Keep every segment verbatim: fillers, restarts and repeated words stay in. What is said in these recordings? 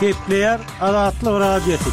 Gepleýär Azatlyk Radiosy.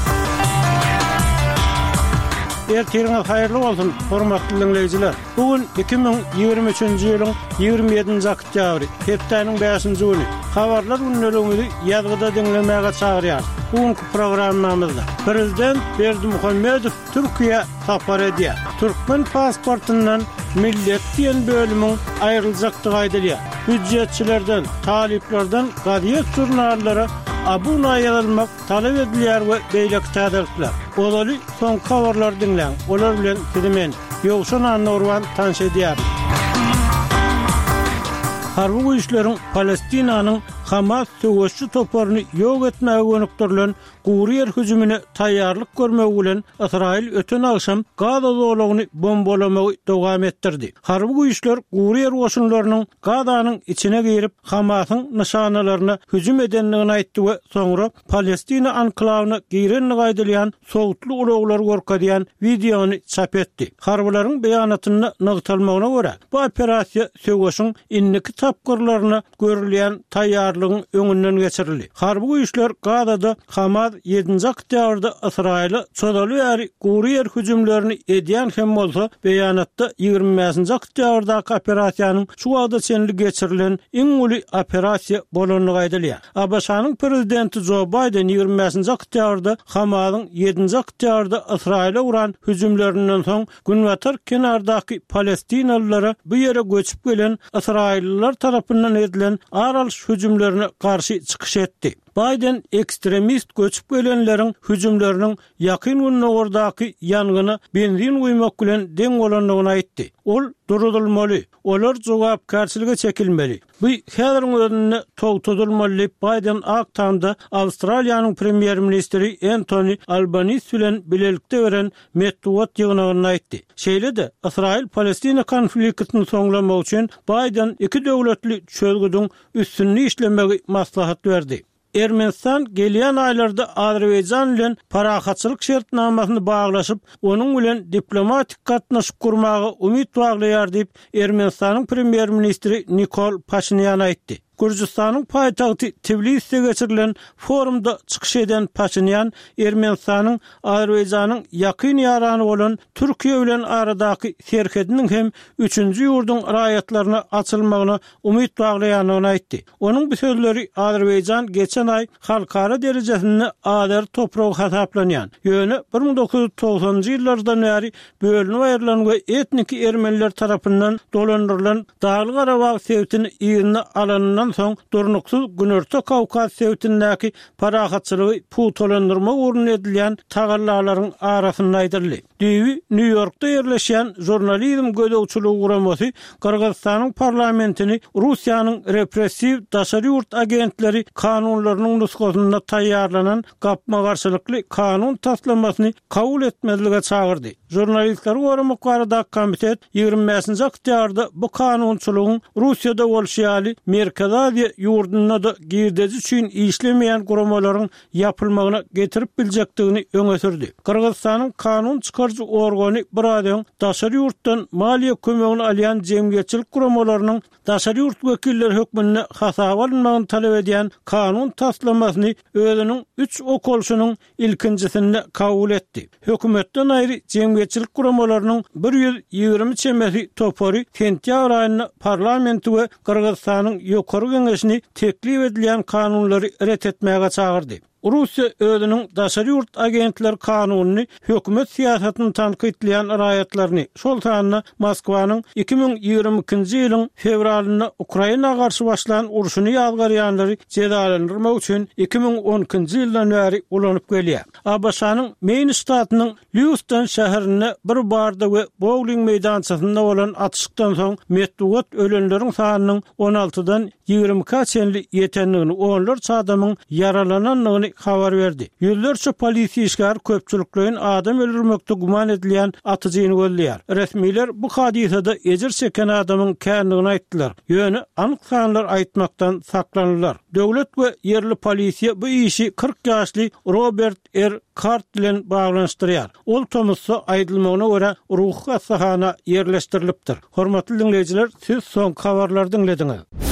Ertiriňiz haýyrly bolsun, hormatly diňleýjiler! Bu gün iki müň ýigrimi üçünji ýylyň ýigrimi ýedinji oktýabry, hepdäniň bäşinji güni. Habarlar gündeligimizi ýazgyda diňlemäge çagyrýarys. Bu günki programmamyzda Prezident Berdimuhamedow Türkiýä sapar edýär. Türkmen pasportyndan millet diýen bölümiň aýryljakdygy aýdylýar. Býujetçilerden, talyplardan gazet-žurnallara abuna ýazylmak talap edilýär we beýleki täzelikler. Ozaly soňky habarlary diňläň, olar bilen sizi men, Ýowşan Annagurban tanyş edýärin. Harby güýçleriň Palestinanyň Hamas söweşçi toparyny ýok etmäge gönükdirilen gury ýer hüjümine taýýarlyk görmegi bilen Ysraýyl öten agşam Gaza zolagyny bombalamagy dowam etdirdi. Harby güýçler gury ýer goşunlarynyň Gazanyň içine girip, Hamasyň nyşanalaryna hüjüm edendigini aýtdy we soňra Palestina anklawyna girendigi aýdylýan sowutly ulaglary görkezýän wideony çap etdi. Harbylaryň beýanatynda nygtalmagyna görä, bu operasiýa söweşiň indiki tapgyrlaryna görülýän taýýarlygyň öňünden geçirildi. Harby güýçler Gazada Hamas ýedinji oktýabrda Ysraýyla çozaly bäri gury ýer hüjümlerini edýän hem bolsa, beýanatda ýigrimi bäşinji oktýabrdaky operasiýanyň şu wagta çenli geçirilen iň uly operasiýa bolandygy aýdylýar. ABŞ-nyň prezidenti Jo Baýden ýigrimi bäşinji oktýabrda Hamasyň ýedinji oktýabrda Ysraýyla uran hüjümlerinden soň Günbatar kenardaky palestinalylara bu ýere göçüp gelen ysraýyllylar tarapyndan edilen ar alyş hüjümlerine garşy çykyş etdi. Baýden ekstremist göçüp gelenleriň hüjümleriniň Ýakyn Gündogardaky ýangyna benzin guýmak bilen deň bolandygyny aýtdy. Ol duruzylmaly, olar jogapkärçilige çekilmeli. Bu häziriň özünde togtadylmaly diýip, Baýden Ak Tamda Awstraliýanyň premýer-ministri Entoni Albanis bilen bilelikde beren metbugat ýygnagynda aýtdy. Şeýle-de, Ysraýyl-Palestina konfliktini soňlamak üçin Baýden iki döwletli çözgüdiň üstünde işlemegi maslahat berdi. Ermenistan gelýän aýlarda Azerbaýjan bilen parahatçylyk şertnamasyny baglaşyp, onuň bilen diplomatik gatnaşyk gurmaga umyt baglaýar diýip, Ermenistanyň premýer-ministri Nikol Paşinýan aýtdy. Gürjüstanyň paýtagty Tbiliside geçirilen forumda çykyş eden Paşinýan Ermenistanyň Azerbaýjanyň ýakyn ýarany bolan Türkiýe bilen aradaky serhediniň hem üçünji ýurduň raýatlaryna açylmagyna umyt baglaýandygyny aýtdy. Onuň bu sözleri Azerbaýjan geçen aý halkara derejesinde azeri topragy hasaplanýan, ýöne bir müň dokuz ýüz togsanynjy ýyllardan bäri bölünip aýrylan we etniki ermeniler tarapyndan dolandyrylan Dagly-Garabag sebitini yzyna alanyndan soň durnuksyz Günorta Kawkaz sebitindäki parahatçylygy pugtalandyrmak ugrunda edilýän tagallalaryň arasynda aýdyldy. Düýbi Nýu-Ýorkda ýerleşýän Žurnalizm gözegçiligi guramasy Gyrgyzystanyň parlamentini Russiýanyň repressiw daşary ýurt agentleri kanunlarynyň nusgasynda taýýarlanan gapma-garşylykly kanun taslamasyny kabul etmezlige çagyrdy. Žurnalistleri goramak baradaky komitet ýigrimi bäşinji oktýabrda bu kanunçylygyň Russiýada bolşy ýaly Merkezi Aziýa ýurdunda-da girdeji üçin işlemeýän guramalaryň ýapylmagyna getirip biljekdigini öňe sürdi. Gyrgyzystanyň kanun çykaryjy organy biraz öň daşary ýurtdan maliýe kömegini alýan jemgyýetçilik guramalarynyň daşary ýurt wekilleri hökmünde hasaba alynmagyny talap edýän kanun taslamasyny özüniň üç okalyşynyň ilkinjisinde kabul etdi. Hökümetden aýry jemgyýetçilik guramalarynyň bir ýüz ýigrimi çemesi topary sentýabr aýynda parlamenti we Gyrgyzystanyň Ýokary Geňeşini teklip edilýän kanunlary ret etmäge çagyrdy. Russiýa özüniň daşary ýurt agentleri kanunyny hökümet syýasatyny tankytlaýan raýatlaryny, şol sanda Moskwanyň iki müň ýigrimi ikinji ýylyň fewralynda Ukraina garşy başlan urşuny ýazgarýanlary jezalandyrmak üçin iki müň on ikinji ýyldan bäri ulanyp gelýär. ABŞ-nyň Meýn ştatynyň Lýuiston şäherinde bir barda we bowling meýdançasynda bolan atyşykdan soň metbugat ölenleriň sanynyň on altydan ýigrimi ikä çenli ýetendigini, onlarça adamyň ýaralanandygyny habar berdi. Ýüzlerçe polisiýa işgäri köpçülikleýin adam öldürmekde güman edilýän atyjyny gözleýär. Resmiler bu hadysada ejir çeken adamyň kändigini aýtdylar, ýöne anyk sanlar aýtmakdan saklandylar. Döwlet we ýerli polisiýa bu işi kyrk ýaşly Robert R. Kart bilen baglanyşdyrýar. Ol tomusda, aýdylmagyna görä, ruhy hassahana ýerleşdirilipdir. Hormatly diňleýjiler, siz soňky habarlary diňlediňiz.